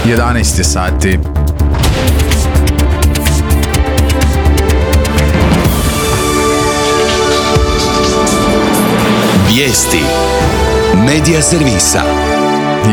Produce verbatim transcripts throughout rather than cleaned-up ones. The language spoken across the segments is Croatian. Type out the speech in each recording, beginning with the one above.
jedanaest je sati. Vijesti Medija servisa.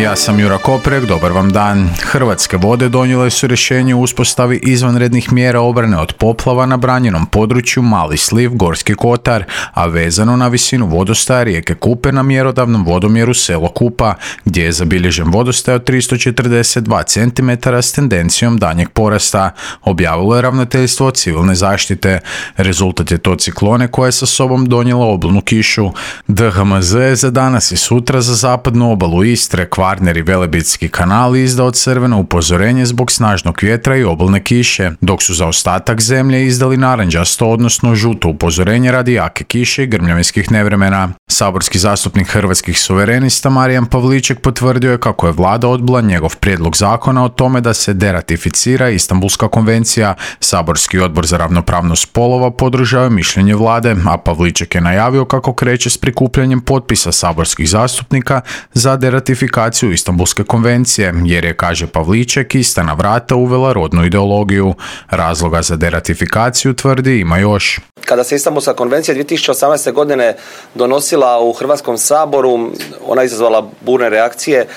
Ja sam Jura Koprek, dobar vam dan. Hrvatske vode donijele su rješenje o uspostavi izvanrednih mjera obrane od poplava na branjenom području Mali Sliv, Gorski Kotar, a vezano na visinu vodostaja rijeke Kupe na mjerodavnom vodomjeru selo Kupa, gdje je zabilježen vodostaj od tristo četrdeset dva centimetra s tendencijom danjeg porasta, objavilo je Ravnateljstvo civilne zaštite. Rezultat je to ciklone koja je sa sobom donijela obilnu kišu. D H M Z je za danas i sutra za zapadnu obalu Istre, Kvarner i Velebitski kanal izdao crveno upozorenje zbog snažnog vjetra i obilne kiše, dok su za ostatak zemlje izdali narančasto, odnosno žuto upozorenje radi jake kiše i grmljavinskih nevremena. Saborski zastupnik Hrvatskih suverenista Marijan Pavliček potvrdio je kako je vlada odbila njegov prijedlog zakona o tome da se deratificira Istanbulska konvencija. Saborski odbor za ravnopravnost spolova podržao je mišljenje vlade, a Pavliček je najavio kako kreće s prikupljanjem potpisa saborskih zastupnika za deratifikaciju Istanbulske konvencije, jer je, kaže Pavliček, ista na vrata uvela rodnu ideologiju. Razloga za deratifikaciju, tvrdi, ima još. Kada se Istanbulska konvencija dvije tisuće osamnaeste. godine donosila u Hrvatskom saboru, ona je izazvala burne reakcije,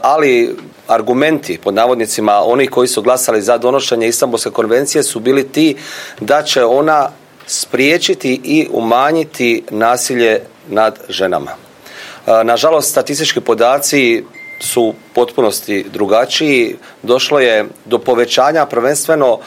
ali argumenti, pod navodnicima, onih koji su glasali za donošenje Istanbulske konvencije su bili ti da će ona spriječiti i umanjiti nasilje nad ženama. Nažalost, statistički podaci su u potpunosti drugačiji. Došlo je do povećanja prvenstveno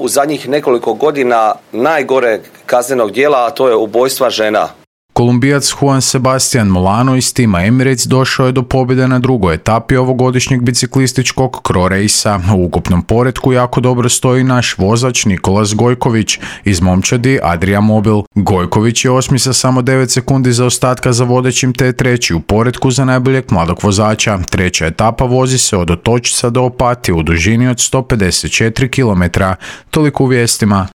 u zadnjih nekoliko godina najgore kaznenog djela, a to je ubojstva žena. Kolumbijac Juan Sebastian Molano iz tima Emirates došao je do pobjede na drugoj etapi ovogodišnjeg biciklističkog Cro Racea. U ukupnom poretku jako dobro stoji naš vozač Nikolas Gojković iz momčadi Adria Mobil. Gojković je osmi sa samo devet sekundi zaostatka za vodećim, te treći u poretku za najboljeg mladog vozača. Treća etapa vozi se od Otočca do Opatije u dužini od sto pedeset četiri kilometra. Toliko u vijestima.